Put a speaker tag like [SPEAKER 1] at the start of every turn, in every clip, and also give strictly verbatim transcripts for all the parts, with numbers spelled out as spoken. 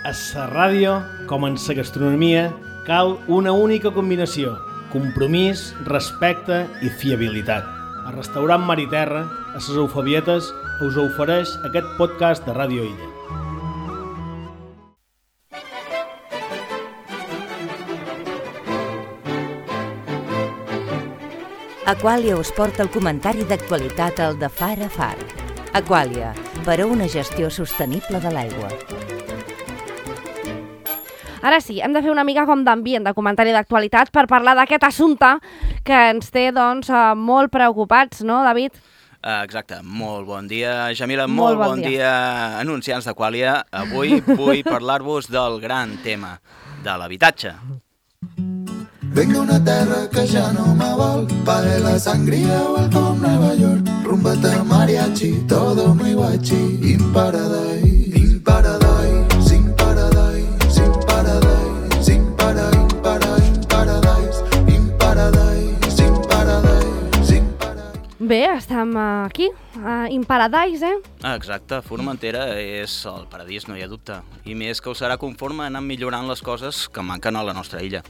[SPEAKER 1] A la ràdio, com en la gastronomia, cal una única combinació: compromís, respecte i fiabilitat. El restaurant Mar i Terra, a les Eufabietes, us ofereix aquest podcast de Ràdio Illa.
[SPEAKER 2] Aquàlia us porta el comentari d'actualitat al de Far a Far. Aquàlia, per a una gestió sostenible de l'aigua.
[SPEAKER 3] Ara sí, hem de fer una mica com d'ambient, de comentari d'actualitat, per parlar d'aquest assumpte que ens té doncs, molt preocupats, no, David?
[SPEAKER 4] Uh, exacte, molt bon dia, Jamila,
[SPEAKER 3] molt,
[SPEAKER 4] molt bon, bon dia. dia, anunciants d'Aquàlia. Avui vull parlar-vos del gran tema de l'habitatge.
[SPEAKER 5] Vengo a una terra que ja no me vol, pague la sangría, welcome Nueva York, rumbata mariachi, todo muy guachi, in paradise, in paradise, in paradise, in paradise, in paradise, in paradise, in paradise, in paradise, in paradise.
[SPEAKER 3] Bé, estem aquí, a In Paradise, eh?
[SPEAKER 4] Exacte, Formentera és el paradís, no hi ha dubte, i més que ho serà conforme anant millorant les coses que manquen a la nostra illa.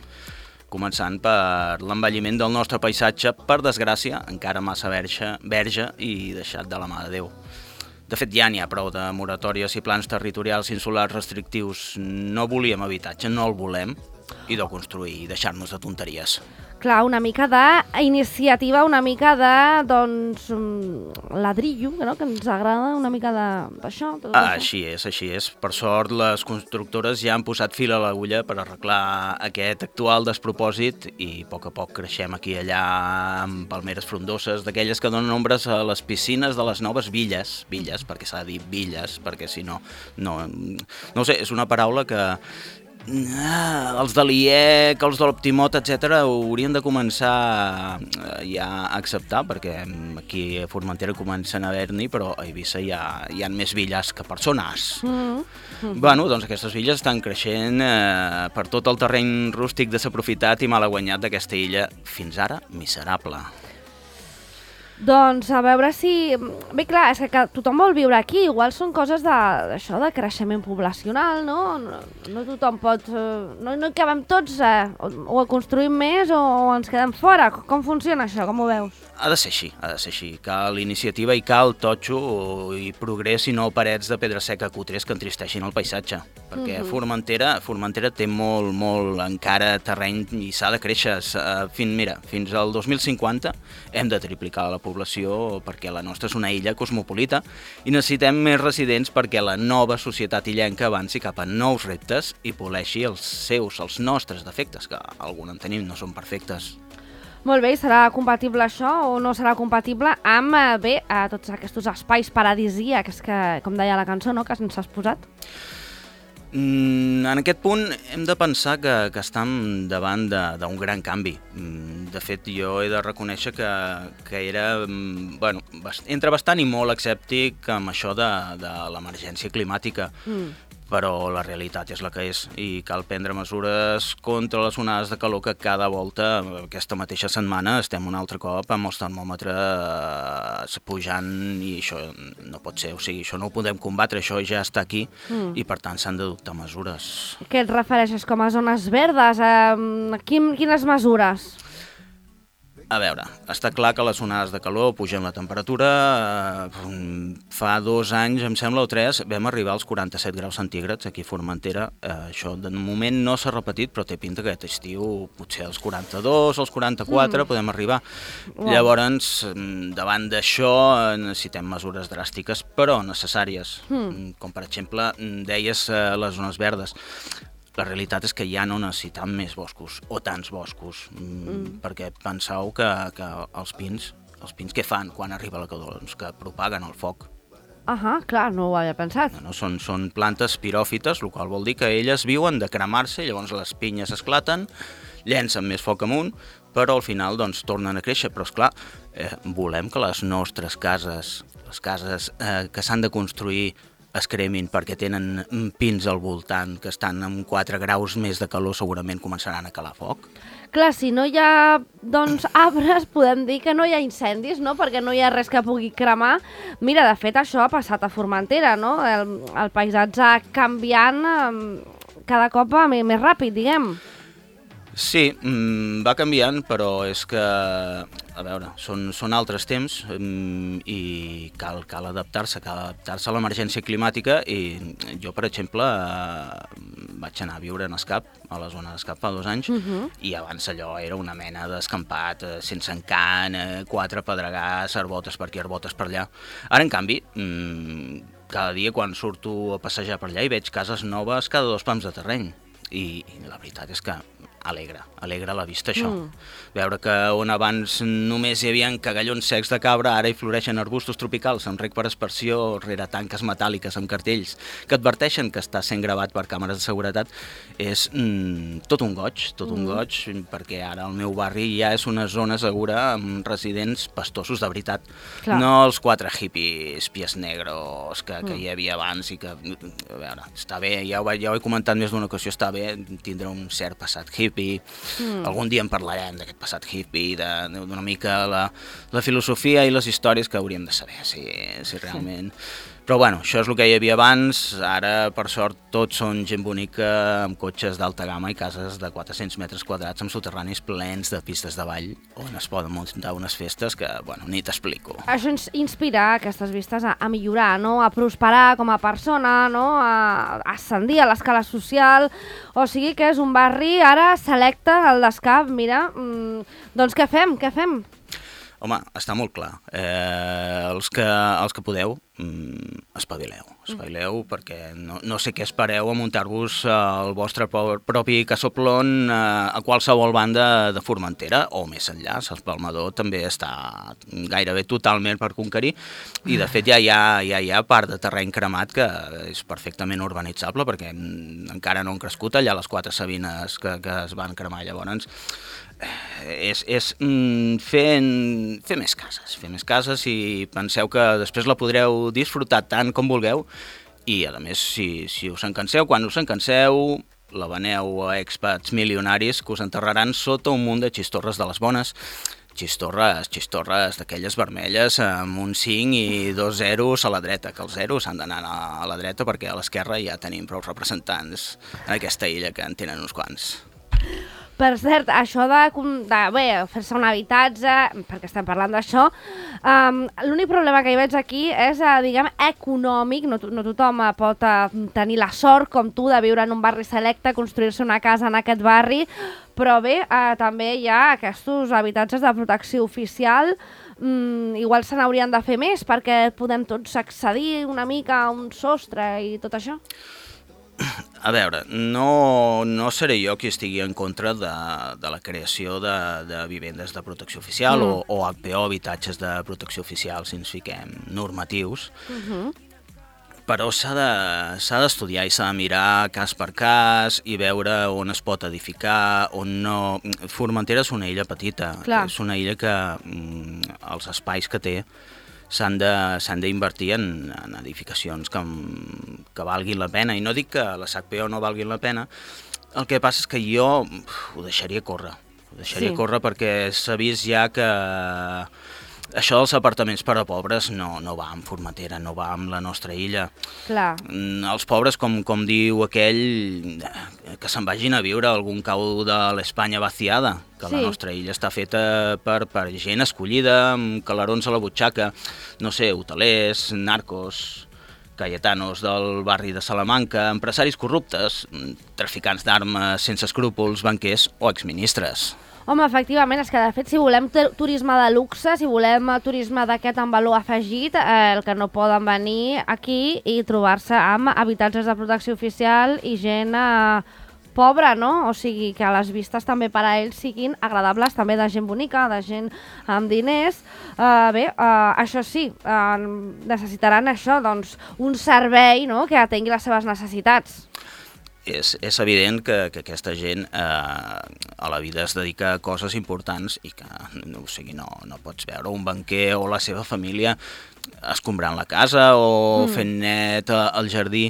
[SPEAKER 4] Començant per l'envelliment del nostre paisatge, per desgràcia, encara massa verge, verge i deixat de la mà de Déu. De fet, ja n'hi ha prou de moratòries i plans territorials insulars restrictius. No volíem habitatge, no el volem, i de construir i deixar-nos de tonteries.
[SPEAKER 3] Clar, una mica d'iniciativa, una mica de, doncs, ladrillo, no? Que ens agrada una mica d'això.
[SPEAKER 4] Ah, així és, així és. Per sort, les constructores ja han posat fil a l'agulla per arreglar aquest actual despropòsit i a poc a poc creixem aquí i allà amb palmeres frondoses, d'aquelles que donen ombres a les piscines de les noves villes, villes, perquè s'ha de dir villes, perquè si no, no, no ho sé, és una paraula que Ah, els de l'I E C, els de l'Optimot, etcètera, haurien de començar ja a acceptar, perquè aquí a Formentera comencen a haver-n'hi, però a Eivissa hi ha, hi ha més villes que persones. Mm-hmm. Bueno, doncs aquestes villes estan creixent eh, per tot el terreny rústic desaprofitat i malaguanyat d'aquesta illa, fins ara miserable.
[SPEAKER 3] Doncs a veure si... Bé, clar, és que tothom vol viure aquí, igual són coses d'això, de, de creixement poblacional, no? No, no tothom pot... No, no hi cabem tots, eh? o, o construïm més o, o ens quedem fora. Com funciona això? Com ho veus?
[SPEAKER 4] Ha de ser així, ha de ser així. Cal iniciativa i cal totxo i progrés i no parets de pedra seca cutres que entristeixin el paisatge. Perquè mm-hmm. Formentera, Formentera té molt, molt encara terreny i s'ha de créixer. Fins, mira, fins al dos mil cinquanta hem de triplicar la població perquè la nostra és una illa cosmopolita i necessitem més residents perquè la nova societat illenca avanci cap a nous reptes i poleixi els seus, els nostres defectes, que alguns en tenim, no són perfectes.
[SPEAKER 3] Molt bé, i serà compatible això o no serà compatible amb, bé, a tots aquests espais paradisíacs que, com deia la cançó, no?, que ens has posat?
[SPEAKER 4] Mm, en aquest punt hem de pensar que, que estem davant d'un gran canvi. De fet, jo he de reconèixer que, que era bueno, entre bastant i molt escèptic amb això de, de l'emergència climàtica. Mm. Però la realitat és la que és i cal prendre mesures contra les onades de calor que cada volta, aquesta mateixa setmana, estem un altre cop amb els termòmetres pujant i això no pot ser, o sigui, això no ho podem combatre, això ja està aquí mm. i per tant s'han d'adoptar mesures.
[SPEAKER 3] Què et refereixes com a zones verdes? A quin, quines mesures?
[SPEAKER 4] A veure, està clar que les onades de calor pugen la temperatura. Fa dos anys, em sembla, o tres, vam arribar als quaranta-set graus centígrads aquí a Formentera. Això de moment no s'ha repetit, però té pinta que aquest estiu potser als quaranta-dos, als quaranta-quatre mm. podem arribar. Wow. Llavors, davant d'això necessitem mesures dràstiques, però necessàries. Mm. Com per exemple, deies les zones verdes. La realitat és que ja no necessitem més boscos, o tants boscos, mm. perquè penseu que, que els pins, els pins què fan quan arriba la calor? Doncs que propaguen el foc.
[SPEAKER 3] Ahà, clar, no ho havia pensat.
[SPEAKER 4] No, no, són, són plantes piròfites, el qual vol dir que elles viuen de cremar-se, llavors les pinyes esclaten, llencen més foc amunt, però al final doncs, tornen a créixer. Però, esclar, eh, volem que les nostres cases, les cases eh, que s'han de construir es cremin perquè tenen pins al voltant que estan amb quatre graus més de calor, segurament començaran a calar foc.
[SPEAKER 3] Clar, si no hi ha doncs, arbres, podem dir que no hi ha incendis, no? Perquè no hi ha res que pugui cremar. Mira, de fet, això ha passat a Formentera, no? El, el paisatge canviant eh, cada cop més ràpid, diguem.
[SPEAKER 4] Sí, mmm, va canviant, però és que, a veure, són, són altres temps mmm, i cal, cal adaptar-se, cal adaptar-se a l'emergència climàtica i jo, per exemple, eh, vaig anar a viure en Escap, a la zona d'Escap fa dos anys, uh-huh. i abans allò era una mena d'escampat, eh, sense encant, eh, quatre pedregars, arbotes per aquí, arbotes per allà. Ara, en canvi, mmm, cada dia quan surto a passejar per allà hi veig cases noves cada dos pams de terreny i, i la veritat és que alegra, alegra la vista això. Mm. Veure que on abans només hi havia cagallons secs de cabra, ara hi floreixen arbustos tropicals amb rec per aspersió rere tanques metàl·liques amb cartells que adverteixen que està sent gravat per càmeres de seguretat, és mm, tot un goig, tot mm. un goig, perquè ara el meu barri ja és una zona segura amb residents pastosos de veritat. Clar. No els quatre hippies pies negros que, que mm. hi havia abans i que, a veure, està bé, ja ho, ja ho he comentat més d'una ocasió, està bé tindre un cert passat hippie. Mm. Algun dia en parlarem d'aquest passat hippie, d'una mica la, la filosofia i les històries que hauríem de saber, si, si realment... Sí. Però bueno, això és el que hi havia abans, ara per sort tots són gent bonica amb cotxes d'alta gamma i cases de quatre-cents metres quadrats amb soterranis plens de pistes de ball on es poden muntar unes festes que, bueno, ni t'explico.
[SPEAKER 3] Això ens inspira aquestes vistes a, a millorar, no? A prosperar com a persona, no? A, a ascendir a l'escala social, o sigui que és un barri ara selecte, el d'Escap, mira, mmm, doncs què fem, què fem?
[SPEAKER 4] Home, està molt clar. Eh, els, que, els que podeu, mm, espavileu. Espavileu mm. perquè no, no sé què espereu a muntar-vos el vostre propi casoplon eh, a qualsevol banda de Formentera o més enllà. L'Espalmador també està gairebé totalment per conquerir i de fet ja hi ha, ja hi ha part de terreny cremat que és perfectament urbanitzable perquè encara no han crescut allà les quatre sabines que, que es van cremar llavors. És, és mm, fer, fer més cases, fer més cases i penseu que després la podreu disfrutar tant com vulgueu i a més si, si us en canseu, quan us en canseu la veneu a expats milionaris que us enterraran sota un munt de xistorres de les bones, xistorres, xistorres d'aquelles vermelles amb un cinc i dos zeros a la dreta, que els zeros s'han d'anar a la dreta perquè a l'esquerra ja tenim prou representants en aquesta illa que en tenen uns quants.
[SPEAKER 3] Per cert, això de, de bé, fer-se un habitatge, perquè estem parlant d'això, um, l'únic problema que hi veig aquí és, uh, diguem, econòmic. No, no tothom uh, pot uh, tenir la sort, com tu, de viure en un barri selecte, construir-se una casa en aquest barri, però bé, uh, també hi ha aquests habitatges de protecció oficial. Mm, igual se n'haurien de fer més perquè podem tots accedir una mica a un sostre i tot això.
[SPEAKER 4] A veure, no, no seré jo qui estigui en contra de, de la creació de, de vivendes de protecció oficial mm. o, o H P O, habitatges de protecció oficial, si ens fiquem normatius, uh-huh. però s'ha de, s'ha d'estudiar i s'ha de mirar cas per cas i veure on es pot edificar, on no... Formentera és una illa petita, Clar. és una illa que mm, els espais que té s'han de, s'han d'invertir en, en edificacions que, que valguin la pena. I no dic que les H P O no valguin la pena, el que passa és que jo uf, ho deixaria córrer. Ho deixaria sí. córrer perquè s'ha vist ja que això dels apartaments per a pobres no, no va amb Formentera, no va amb la nostra illa.
[SPEAKER 3] Clar.
[SPEAKER 4] Els pobres, com, com diu aquell, que se'n vagin a viure a algun cau de l'Espanya vaciada, que sí. la nostra illa està feta per, per gent escollida, amb calarons a la butxaca, no sé, hotelers, narcos, cayetanos del barri de Salamanca, empresaris corruptes, traficants d'armes sense escrúpols, banquers o exministres.
[SPEAKER 3] Home, efectivament, és que de fet si volem turisme de luxe, si volem turisme d'aquest amb valor afegit, eh, el que no poden venir aquí i trobar-se amb habitatges de protecció oficial i gent eh, pobra, no? O sigui, que les vistes també per a ells siguin agradables, també de gent bonica, de gent amb diners. Eh, bé, eh, això sí, eh, necessitaran això, doncs, un servei, no?, que atengui les seves necessitats.
[SPEAKER 4] És, és evident que, que aquesta gent eh, a la vida es dedica a coses importants i que no, o sigui, no, no pots veure un banquer o la seva família escombrant la casa o mm. fent net al jardí.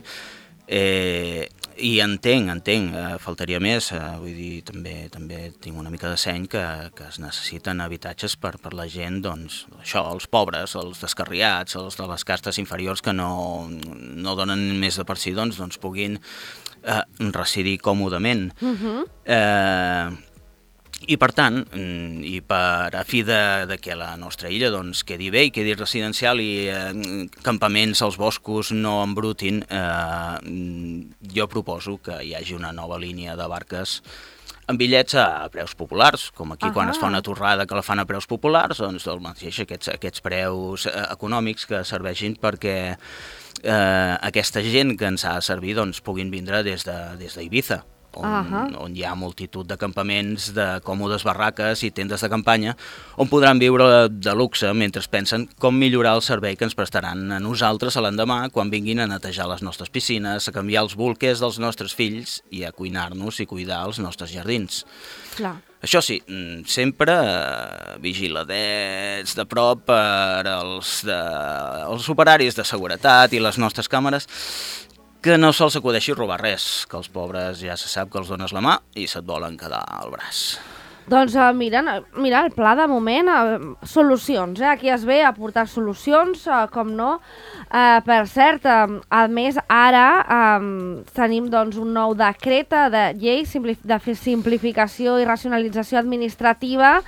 [SPEAKER 4] Eh, I entenc, entenc, eh, faltaria més, eh, vull dir, també també tinc una mica de seny que, que es necessiten habitatges per, per la gent, doncs, això, els pobres, els descarriats, els de les castes inferiors que no, no donen més de per si, doncs, doncs puguin eh, residir còmodament. Uh-huh. Eh... I per tant, i per a fi de, de que la nostra illa doncs, quedi bé i quedi residencial i eh, campaments als boscos no embrutin, eh, jo proposo que hi hagi una nova línia de barques amb bitllets a preus populars, com aquí uh-huh. quan es fa una torrada que la fan a preus populars, doncs el mateix, aquests, aquests preus econòmics que serveixin perquè eh, aquesta gent que ens ha de servir doncs, puguin vindre des de, des d'Eivissa. On, uh-huh. on hi ha multitud de campaments, de còmodes barraques i tendes de campanya, on podran viure de luxe mentre pensen com millorar el servei que ens prestaran a nosaltres a l'endemà quan vinguin a netejar les nostres piscines, a canviar els bolquers dels nostres fills i a cuinar-nos i cuidar els nostres jardins.
[SPEAKER 3] Clar.
[SPEAKER 4] Això sí, sempre eh, vigiladets de prop per als, de, els operaris de seguretat i les nostres càmeres, que no se'ls acudeixi robar res, que els pobres ja se sap que els dones la mà i se't volen quedar al braç.
[SPEAKER 3] Doncs uh, mira, mira, el pla de moment, uh, solucions, eh? Aquí es ve a portar solucions, uh, com no. Uh, per cert, uh, a més, ara um, tenim doncs, un nou decret de llei de simplificació i racionalització administrativa.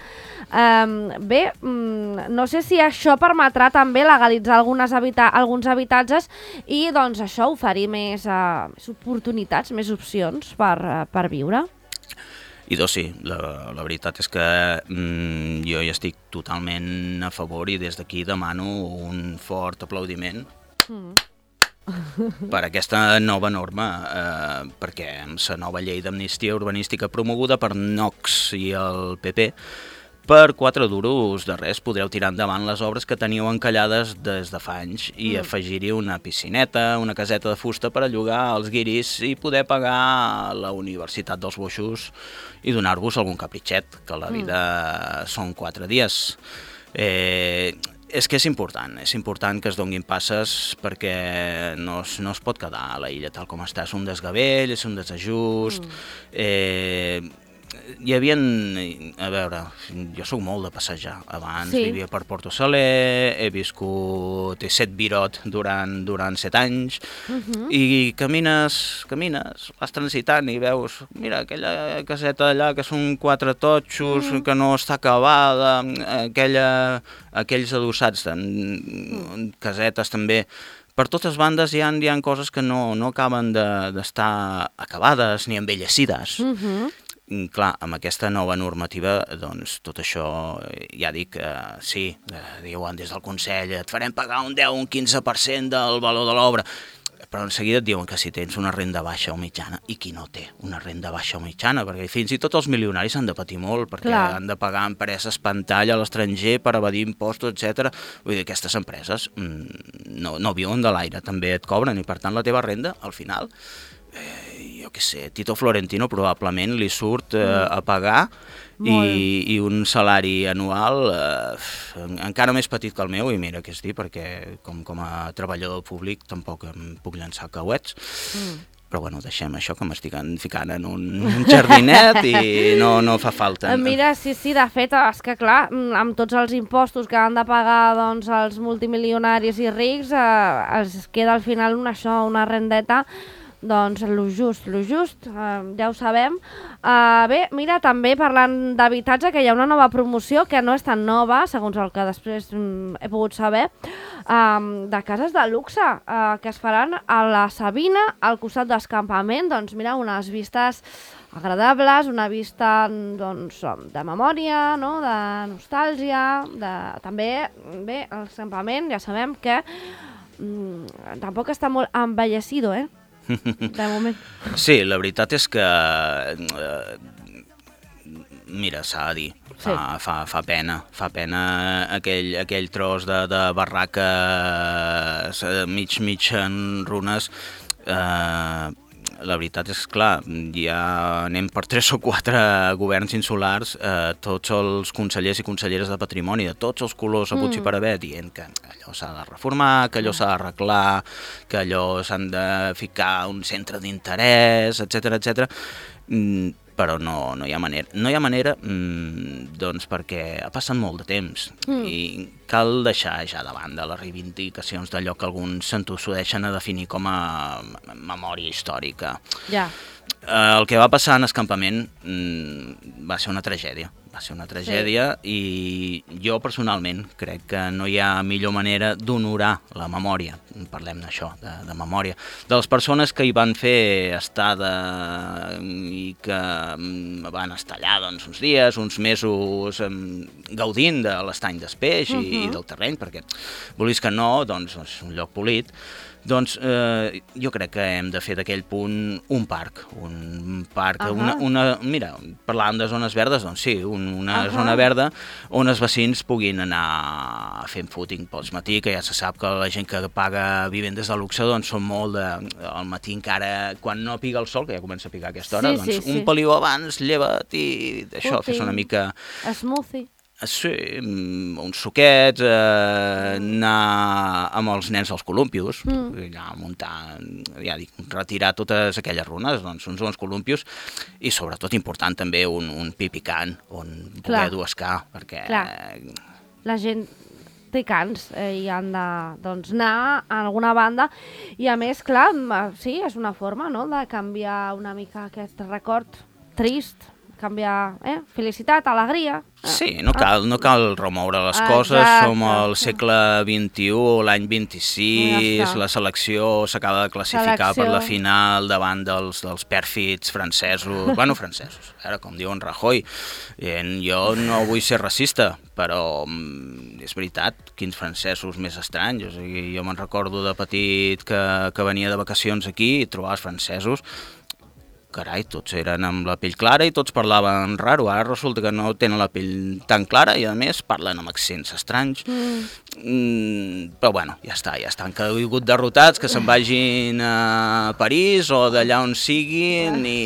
[SPEAKER 3] Um, bé, um, no sé si això permetrà també legalitzar algunes habita alguns habitatges i doncs això oferir més, uh, més oportunitats, més opcions per, uh, per viure.
[SPEAKER 4] I doncs sí, la, la veritat és que mm, jo hi estic totalment a favor i des d'aquí demano un fort aplaudiment mm. per aquesta nova norma, eh, perquè amb la nova llei d'amnistia urbanística promoguda per Nox i el P P, per quatre duros de res podreu tirar endavant les obres que teníeu encallades des de fa anys i mm. afegir-hi una piscineta, una caseta de fusta per a llogar als guiris i poder pagar la universitat dels boixos i donar-vos algun capritxet, que la vida mm. són quatre dies. Eh, és que és important, és important que es donguin passes perquè no es, no es pot quedar a la illa tal com està, és un desgavell, és un desajust, mm. eh, hi havia, a veure, jo soc molt de passejar, abans sí. vivia per Porto Saler, he viscut, he set Virot durant, durant set anys, uh-huh. i camines, camines, vas transitant i veus, mira, aquella caseta allà que són quatre totxos, uh-huh. que no està acabada, aquella, aquells adossats, uh-huh. casetes també. Per totes bandes hi ha, hi ha coses que no, no acaben d'estar de, acabades ni envellecides. Uh-huh. Clar, amb aquesta nova normativa, doncs, tot això, ja dic, eh, sí, eh, diuen des del Consell, et farem pagar un deu o un quinze per cent del valor de l'obra, però en seguida et diuen que si tens una renda baixa o mitjana, i qui no té una renda baixa o mitjana, perquè fins i tot els milionaris han de patir molt, perquè Clar. han de pagar empreses pantalla a l'estranger per evadir impostos, etcètera. Vull dir, aquestes empreses mm, no, no viuen de l'aire, també et cobren, i per tant la teva renda, al final, eh, jo què sé, Tito Florentino probablement li surt eh, a pagar i, i un salari anual eh, encara més petit que el meu, i mira què és dir, perquè com, com a treballador públic tampoc em puc llançar cauets, mm. però bueno, deixem això, que m'estic ficant en un, un jardinet i no, no fa falta.
[SPEAKER 3] Mira, sí, sí, de fet, és que clar, amb tots els impostos que han de pagar doncs, els multimilionaris i rics, eh, es queda al final una, això, una rendeta. Doncs lo just, lo just, uh, ja ho sabem. Uh, bé, mira, també parlant d'habitatge, que hi ha una nova promoció que no és tan nova, segons el que després um, he pogut saber, um, de cases de luxe, uh, que es faran a la Sabina, al costat d'escampament. Doncs mira, unes vistes agradables, una vista doncs, de memòria, no? De nostàlgia, de... també, bé, l'escampament ja sabem que um, tampoc està molt envellecido, eh? De moment.
[SPEAKER 4] Sí, la veritat és que eh, mira, s'ha de dir, fa, sí. fa, fa pena, fa pena aquell, aquell tros de, de barraca mig, mig en runes, eh, la veritat és, clar, ja anem per tres o quatre governs insulars, eh, tots els consellers i conselleres de patrimoni de tots els colors haguts mm. i per haver, dient que allò s'ha de reformar, que allò s'ha d'arreglar, que allò s'han de ficar un centre d'interès, etcètera, etcètera. Mm, però no, no hi ha manera. No hi ha manera mmm, doncs perquè ha passat molt de temps mm. i cal deixar ja de banda les reivindicacions d'allò que alguns s'entossudeixen a definir com a memòria històrica.
[SPEAKER 3] Ja.
[SPEAKER 4] Eh, el que va passar en escampament mmm, va ser una tragèdia. Va ser una tragèdia sí. I jo personalment crec que no hi ha millor manera d'honorar la memòria, parlem d'això, de, de memòria, de les persones que hi van fer estada i que van estar allà doncs, uns dies, uns mesos gaudint de l'estany d'Espeix uh -huh. i, i del terreny, perquè vulguis que no, doncs és un lloc polit. Doncs eh, jo crec que hem de fer d'aquell punt un parc, un parc, uh -huh. una, una, mira, parlàvem de zones verdes, doncs sí, un, una uh -huh. zona verda on els vecins puguin anar fent footing pels matí, que ja se sap que la gent que paga vivendes de luxe doncs són molt de, al matí encara, quan no piga el sol, que ja comença a picar a aquesta hora,
[SPEAKER 3] sí,
[SPEAKER 4] doncs
[SPEAKER 3] sí,
[SPEAKER 4] un
[SPEAKER 3] sí.
[SPEAKER 4] peliu abans, lleva't i això,
[SPEAKER 3] fes
[SPEAKER 4] una mica...
[SPEAKER 3] Smoothie.
[SPEAKER 4] Sí, uns suquets, eh, anar amb els nens als columpios, mm. allà muntar, ja dic, retirar totes aquelles runes, doncs uns bons columpios, i sobretot important també un, un pipicant on poder duescar, perquè...
[SPEAKER 3] Clar. La gent té cans eh, i han de doncs, anar a alguna banda, i a més, clar, sí, és una forma no?, de canviar una mica aquest record trist, canviar eh? felicitat, alegria.
[SPEAKER 4] Sí, no cal, no cal remoure les ah, coses, exacte. Som al segle vint-i-u, l'any vint-i-sis, ja la selecció s'acaba de classificar selecció. Per la final davant dels, dels pèrfids francesos, bueno, francesos, ara com diuen Rajoy, i jo no vull ser racista, però és veritat, quins francesos més estranys, o sigui, jo me'n recordo de petit que, que venia de vacacions aquí i trobava els francesos, carai, tots eren amb la pell clara i tots parlaven raro. Ara resulta que no tenen la pell tan clara i, a més, parlen amb accents estranys. Mm. Mm, però, bueno, ja està, ja estan caigut derrotats, que se'n vagin a París o d'allà on siguin i,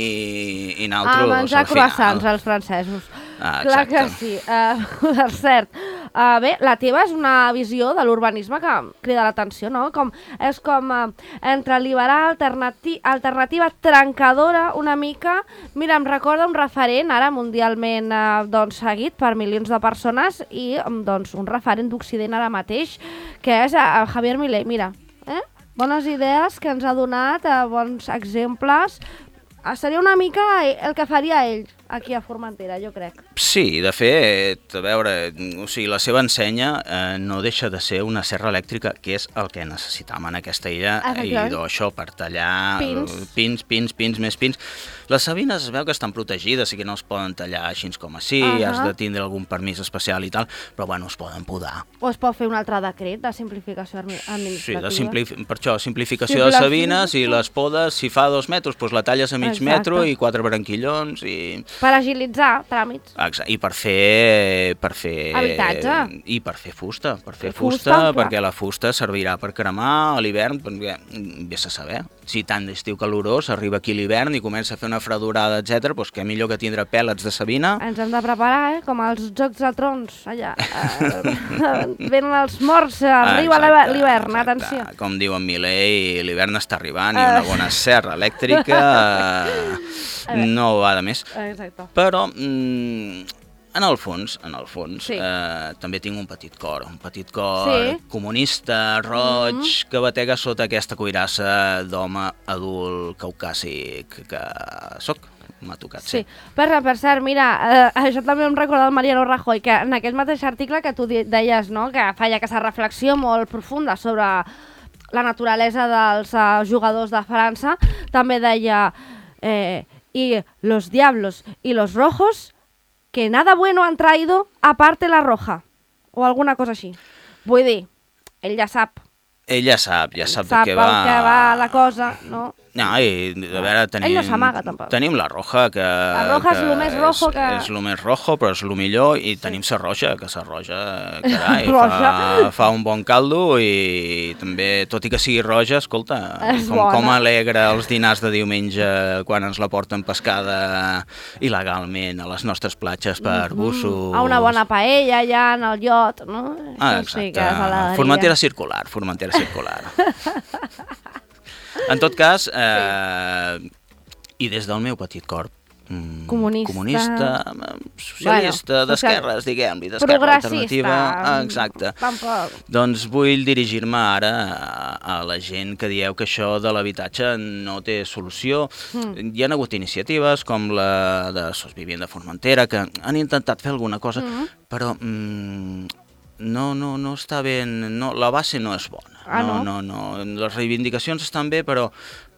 [SPEAKER 4] i naltros,
[SPEAKER 3] a menjar croissants, els francesos.
[SPEAKER 4] Ah,
[SPEAKER 3] clar que sí. Uh, per cert, uh, bé, la teva és una visió de l'urbanisme que crida l'atenció, no? Com, és com uh, entre liberal, alternati alternativa, trencadora, una mica. Mira, em recorda un referent ara mundialment uh, doncs, seguit per milions de persones i um, doncs, un referent d'Occident ara mateix, que és uh, Javier Milei. Mira, eh? Bones idees que ens ha donat, uh, bons exemples. Uh, seria una mica el que faria ell aquí a Formentera, jo crec.
[SPEAKER 4] Sí, de fet, a veure, o sigui, la seva ensenya eh, no deixa de ser una serra elèctrica, que és el que necessitàvem en aquesta illa, i d'això, per tallar
[SPEAKER 3] pins.
[SPEAKER 4] pins, pins, pins, més pins. Les sabines es veu que estan protegides i que no es poden tallar així com així, uh -huh. has de tindre algun permís especial i tal, però bueno, es poden podar.
[SPEAKER 3] O es pot fer un altre decret de simplificació administrativa.
[SPEAKER 4] Sí, de simplif per això, simplificació de sabines i les podes, si fa dos metres, doncs la talles a mig Exacte. metro i quatre branquillons i...
[SPEAKER 3] Per agilitzar tràmits.
[SPEAKER 4] Exacte. I per fer... Per fer
[SPEAKER 3] habitatge.
[SPEAKER 4] I per fer fusta. Per fer fusta, fusta perquè la fusta servirà per cremar a l'hivern, perquè vés a saber. Si tant d'estiu calorós, arriba aquí l'hivern i comença a fer una fredurada, etcètera, doncs què millor que tindre pèl·lets de sabina.
[SPEAKER 3] Ens hem de preparar, eh? Com els Jocs de Trons, allà. Eh, venen els morts, arriba l'hivern, atenció.
[SPEAKER 4] Com diu en Milei, l'hivern està arribant i una bona serra elèctrica no va de més.
[SPEAKER 3] Exacte.
[SPEAKER 4] Però, mm, en el fons, en el fons,
[SPEAKER 3] sí.
[SPEAKER 4] eh, també tinc un petit cor, un petit cor
[SPEAKER 3] sí.
[SPEAKER 4] comunista, roig, mm -hmm. que batega sota aquesta cuirassa d'home adult caucàsic que sóc. M'ha tocat
[SPEAKER 3] sí.
[SPEAKER 4] ser.
[SPEAKER 3] Per, per cert, mira, eh, això també em recorda el Mariano Rajoy, que en aquest mateix article que tu deies, no?, que feia aquesta reflexió molt profunda sobre la naturalesa dels uh, jugadors de França, també deia... Eh, y los diablos y los rojos que nada bueno han traído aparte la roja o alguna cosa així. Vull dir, ell ja sap
[SPEAKER 4] Ell ja sap, ja sap,
[SPEAKER 3] sap
[SPEAKER 4] de què va...
[SPEAKER 3] el que va la cosa, no?
[SPEAKER 4] No, i a veure, tenim...
[SPEAKER 3] Ell no s'amaga, tampoc.
[SPEAKER 4] Tenim la roja, que...
[SPEAKER 3] La roja és
[SPEAKER 4] que
[SPEAKER 3] el més rojo
[SPEAKER 4] és,
[SPEAKER 3] que...
[SPEAKER 4] És el més rojo, però és el millor, i sí. Tenim la roja, que la roja, carai,
[SPEAKER 3] roja.
[SPEAKER 4] fa, fa un bon caldo, i també, tot i que sigui roja, escolta,
[SPEAKER 3] és
[SPEAKER 4] com, com alegra els dinars de diumenge quan ens la porten pescada il·legalment a les nostres platges per mm -hmm. bussos.
[SPEAKER 3] A una bona paella allà en el iot, no?
[SPEAKER 4] Ah, exacte, sí Formentera circular, Formentera circular. En tot cas, eh, sí. I des del meu petit cor, mm,
[SPEAKER 3] comunista,
[SPEAKER 4] comunista socialista, bueno, d'esquerres, diguem-li, d'esquerra alternativa, exacte.
[SPEAKER 3] Tampoc.
[SPEAKER 4] Doncs vull dirigir-me ara a, a la gent que dieu que això de l'habitatge no té solució. Mm. Hi ha hagut iniciatives com la de Sos Vivient de Formentera que han intentat fer alguna cosa, mm. però... Mm, No, no, no està ben... No, la base no és bona.
[SPEAKER 3] Ah, no?
[SPEAKER 4] No, no, no. Les reivindicacions estan bé, però,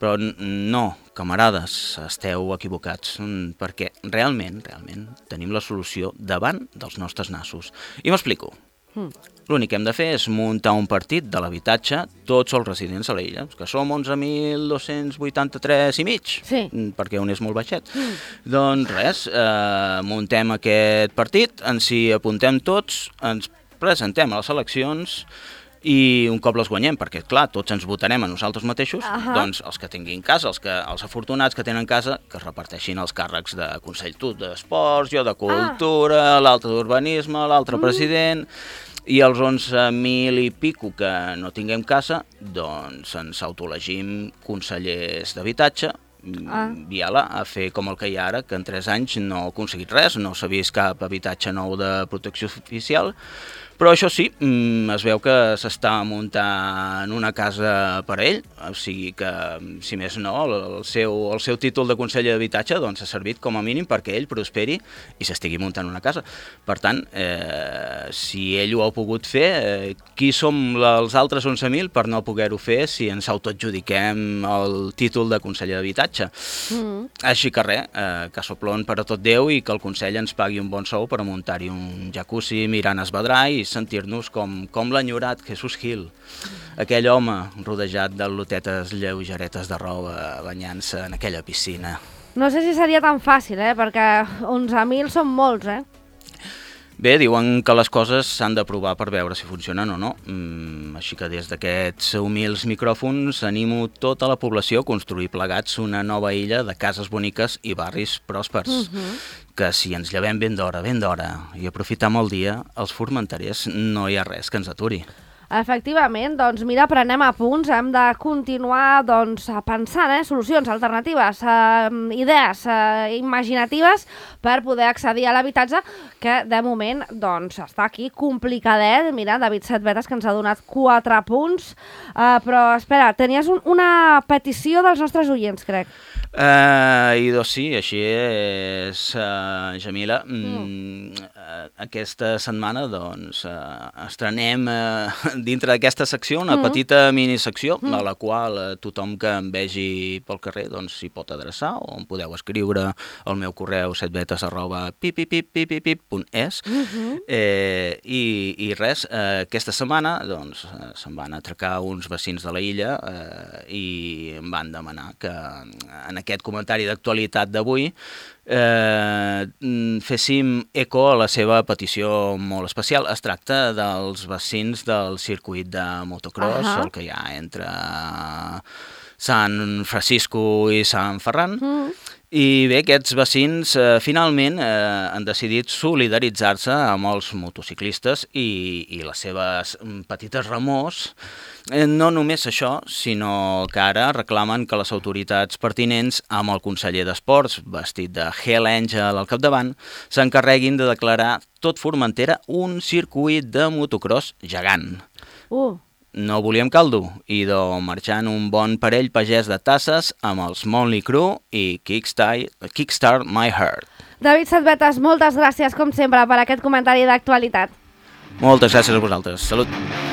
[SPEAKER 4] però no, camarades, esteu equivocats, perquè realment, realment, tenim la solució davant dels nostres nassos. I m'explico. Mm. L'únic que hem de fer és muntar un partit de l'habitatge, tots els residents a l'illa, que som onze mil dos-cents vuitanta-tres i mig,
[SPEAKER 3] sí.
[SPEAKER 4] perquè un és molt baixet. Mm. Doncs res, eh, muntem aquest partit, ens hi apuntem tots, ens presentem a les eleccions i un cop les guanyem, perquè clar, tots ens votarem a nosaltres mateixos, uh-huh. doncs els que tinguin casa, els, que, els afortunats que tenen casa, que es reparteixin els càrrecs de Consell tu d'Esports, jo de Cultura, ah. l'altre d'Urbanisme, l'altre mm. president, i els onze mil i pico que no tinguem casa, doncs ens autoelegim consellers d'habitatge, ah. viala a fer com el que hi ha ara, que en tres anys no ha aconseguit res, no s'ha vist cap habitatge nou de protecció oficial, però això sí, es veu que s'està muntant una casa per a ell, o sigui que, si més no, el seu, el seu títol de conseller d'habitatge doncs, ha servit com a mínim perquè ell prosperi i s'estigui muntant una casa. Per tant, eh, si ell ho ha pogut fer, eh, qui som els altres onze mil per no poder-ho fer si ens autoadjudiquem el títol de conseller d'habitatge? Mm. Així que res, eh, que soplon per a tot Déu i que el Consell ens pagui un bon sou per a muntar-hi un jacuzzi mirant Esvedrà i sentir-nos com, com l'enyorat Jesús Gil, aquell home rodejat de lotetes lleugeretes de roba banyant-se en aquella piscina.
[SPEAKER 3] No sé si seria tan fàcil, eh? Perquè onze mil són molts, eh?
[SPEAKER 4] Bé, diuen que les coses s'han de provar per veure si funcionen o no. Mm, així que des d'aquests humils micròfons animo tota la població a construir plegats una nova illa de cases boniques i barris pròspers. Uh-huh. Que si ens llevem ben d'hora, ben d'hora i aprofitam el dia, els formenterers no hi ha res que ens aturi.
[SPEAKER 3] Efectivament, doncs mira, prenem apunts, hem de continuar doncs, pensant eh, solucions alternatives, eh, idees eh, imaginatives per poder accedir a l'habitatge, que de moment doncs, està aquí complicadet. Mira, David Setbetes, que ens ha donat quatre punts, eh, però espera, tenies un, una petició dels nostres oients, crec.
[SPEAKER 4] Uh, I doncs sí, així és, uh, Jamila. Mm. Uh, aquesta setmana doncs, uh, estrenem uh, dintre d'aquesta secció una mm. petita minisecció mm. a la qual uh, tothom que em vegi pel carrer doncs, s'hi pot adreçar o em podeu escriure al meu correu setbetes arroba pipipipipipip punt es mm-hmm. eh, i, i res, uh, aquesta setmana doncs, uh, se'n van atracar uns vecins de la illa uh, i em van demanar que en aquest comentari d'actualitat d'avui eh, féssim eco a la seva petició molt especial. Es tracta dels vecins del circuit de motocross, uh-huh. el que hi ha entre Sant Francisco i Sant Ferran. Uh-huh. I bé, aquests vecins eh, finalment eh, han decidit solidaritzar-se amb els motociclistes i, i les seves petites remors. Eh, no només això, sinó que ara reclamen que les autoritats pertinents, amb el conseller d'Esports, vestit de Hell Angel al capdavant, s'encarreguin de declarar tot Formentera un circuit de motocross gegant. Uh. No volíem caldo, i de marxant un bon parell pagès de tasses amb els Motley Crue i Kickstart, Kickstart My Heart.
[SPEAKER 3] David Setbetes, moltes gràcies, com sempre, per aquest comentari d'actualitat.
[SPEAKER 4] Moltes gràcies a vosaltres. Salut!